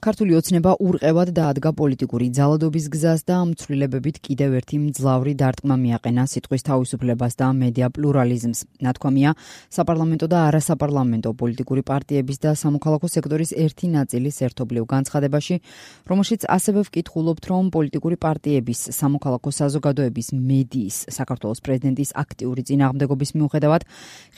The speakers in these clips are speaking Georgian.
ქართული ოცნება ურყევად დაადგა პოლიტიკური ძალადობის გზას და ამ ცვლილებებით კიდევ ერთი მძლავრი დარტყმა მიაყენა სიტყვის თავისუფლებას და მედია პლურალიზმს. ნათქვამია, საპარლამენტო და არასაპარლამენტო პოლიტიკური პარტიების და სამოქალაქო სექტორის ერთი ნაწილის ერთობლივ განცხადებაში, რომელშიც ასევე ვკითხულობთ, რომ პოლიტიკური პარტიების, სამოქალაქო საზოგადოების, მედიის, საქართველოს პრეზიდენტის აქტიური წინააღმდეგობის მიუხედავად,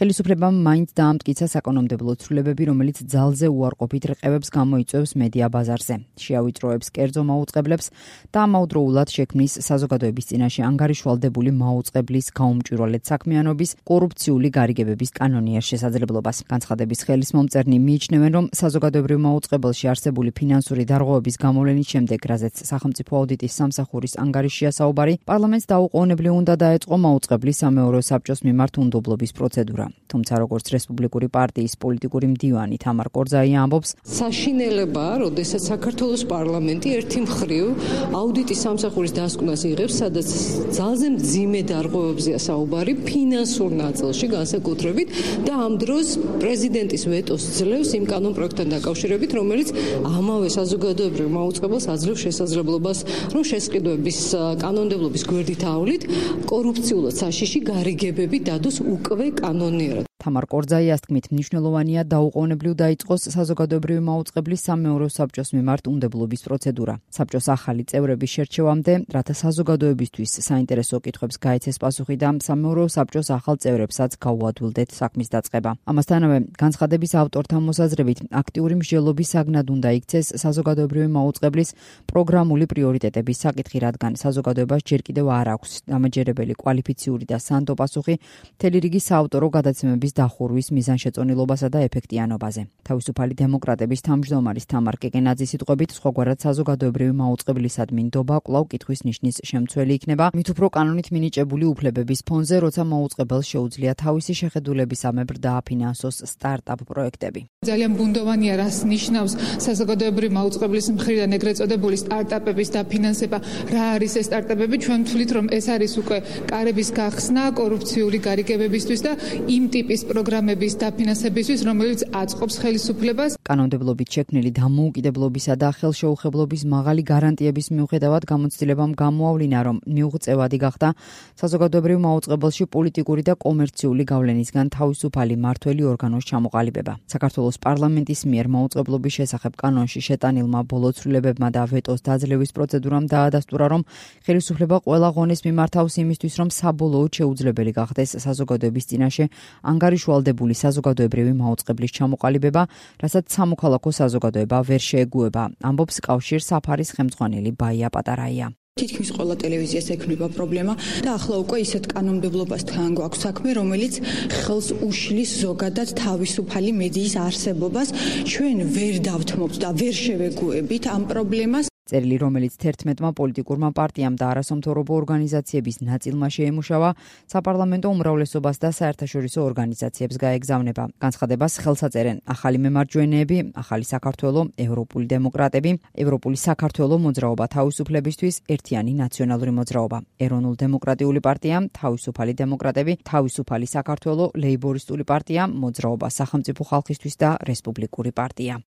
ხელისუფლებამ მაინც დაამტკიცა საკანონმდებლო ცვლილებები, რომელიც ძალზე უარყოფით რყევებს გამოიწვევს მედია ბაზარზე. შეავიწროებს კერძო მაუწყებლებს და ამავდროულად შექმნის საზოგადოების წინაშე ანგარიშვალდებული მაუწყებლის გაუმჭვირვალედ საქმიანობის კორუფციული გარიგებების კანონიერ შესაძლებლობას. განცხადების ხელის მომწერნი მიიჩნევენ, რომ საზოგადოებრივ მაუწყებელში არსებული ფინანსური დარღვევების გამოვლენის შემდეგ, რაზეც სახელმწიფო აუდიტის სამსახურის ანგარიშია საუბარი, პარლამენტს დაუყოვნებლივ უნდა დაეწყო მაუწყებლის სამეურვეო საბჭოს მიმართ უნდობლობის პროცედურა. თუმცა, როგორც რესპუბლიკური პარტიის პოლიტიკური მდივანი თამარ კორძაია ამბობს, საშინელებაა, როდესაც საქართველოს პარლამენტი ერთი მხრივ აუდიტის სამსახურის დასკვნას იღებს, სადაც ძალზე მძიმე დარღვევებზეა საუბარი ფინანსურ ნაწილში განსაკუთრებით და ამ დროს პრეზიდენტის ვეტოს ძლევს იმ კანონპროექტთან დაკავშირებით, რომელიც ამავე საზოგადოებრივ მაუწყებელს აძლევს შესაძლებლობას, რომ შესყიდვების კანონმდებლობის გვერდით ავლით კორუფციულად საშიში გარიგებები დადოს უკვე კანონიერად. თამარ კორძაიას თქმით, მნიშვნელოვანია დაუყოვნებლივ დაიწყოს საზოგადოებრივი მაუწყებლის სამეურვეო საბჭოს მიმართ უნდობლობის პროცედურა. საბჭოს ახალი წევრების შერჩევამდე, რათა საზოგადოებისთვის საინტერესო კითხვებს გაეცეს პასუხი და სამეურვეო საბჭოს ახალ წევრებსაც გაუადვილდეთ საქმის დაწყება. ამასთანავე, განცხადების ავტორთა მოსაზრებით, აქტიური მსჯელობის საგნად უნდა იქცეს საზოგადოებრივი მაუწყებლის პროგრამული პრიორიტეტების საკითხი, რადგან საზოგადოებას ჯერ კიდევ არ აქვს დამაჯერებელი კვალიფიციური და სანდო პასუხი მთელი რიგი საავტორო გადაცემების დახურვის მიზანშეწონილობასა და ეფექტიანობაზე. თავისუფალი დემოკრატების თავმჯდომარის თამარ კეკენაძის სიტყვებით, სხვაგვარად საზოგადოებრივი მაუწყებლისადმი ნდობა კვლავ კითხვის ნიშნის შემცველი იქნება, მით უფრო კანონით მინიჭებული უფლებების ფონზე, როცა მაუწყებელს შეუძლია თავისი შეხედულებისამებრ დააფინანსოს სტარტაპ პროექტები. ძალიან ბუნდოვანია, რას ნიშნავს საზოგადოებრივი მაუწყებლის მხრიდან ეგრეთ წოდებული სტარტაპების დაფინანსება, რა არის ეს სტარტაპები, ჩვენ ვთვლით, რომ ეს არის უკვე კარების გახსნა კორუფციული გარიგებებისთვის და იმ ტიპის პროგრამების დაფინანსებისთვის, რომელიც აწყობს ხელისუფლებას. კანონმდებლობით შექმნილი დამოუკიდებლობისა და ხელშეუხებლობის მაღალი გარანტიების მიუხედავად გამოცდილებამ გამოავლინა, რომ მიუღწევადი გახდა საზოგადოებრივ მაუწყებელში პოლიტიკური და კომერციული გავლენისგან თავისუფალი მართველი ორგანოს ჩამოყალიბება. საქართველოს პარლამენტის მიერ მაუწყებლობის შესახებ კანონში შეტანილმა ბოლო ცვლილებებმა და ვეტოს დაძლევის პროცედურამ დაადასტურა, რომ ხელისუფლება ყველა ღონეს მიმართავს იმისთვის, რომ საბოლოოდ შეუძლებელი გახდეს საზოგადოების წინაშე ანგარიშვალდებული საზოგადოებრივი მაუწყებლის ჩამოყალიბება, რასაც სამოქალაქო საზოგადოება ვერ შეეგუება, ამბობს კავშირ საფარის ხელმძღვანელი ბაია პატარაია. თითქმის ყველა ტელევიზიას ექმნება პრობლემა და ახლა უკვე ისეთ კანონმდებლობასთან გვაქვს საქმე, რომელიც ხელს უშლის ზოგადად თავისუფალი მედიის არსებობას. ჩვენ ვერ დავთმობთ და ვერ შევეგუებით ამ პრობლემას. წერილი, რომელიც 11-მა პოლიტიკურმა პარტიამ და არასამთავრობო ორგანიზაციების ნაწილმა შეემუშავა, საპარლამენტო უმრავლესობას და საერთაშორისო ორგანიზაციებს გაეგზავნება. განცხადებას ხელს აწერენ ახალი მემარჯვენეები, ახალი საქართველო, ევროპული დემოკრატები, ევროპული საქართველო მოძრაობა თავისუფლებისთვის, ერთიანი ნაციონალური მოძრაობა, ეროვნულ-დემოკრატიული პარტია, თავისუფალი დემოკრატები, თავისუფალი საქართველო, ლეიბორისტული პარტია, მოძრაობა სახელმწიფო ხალხისთვის და რესპუბლიკური პარტია.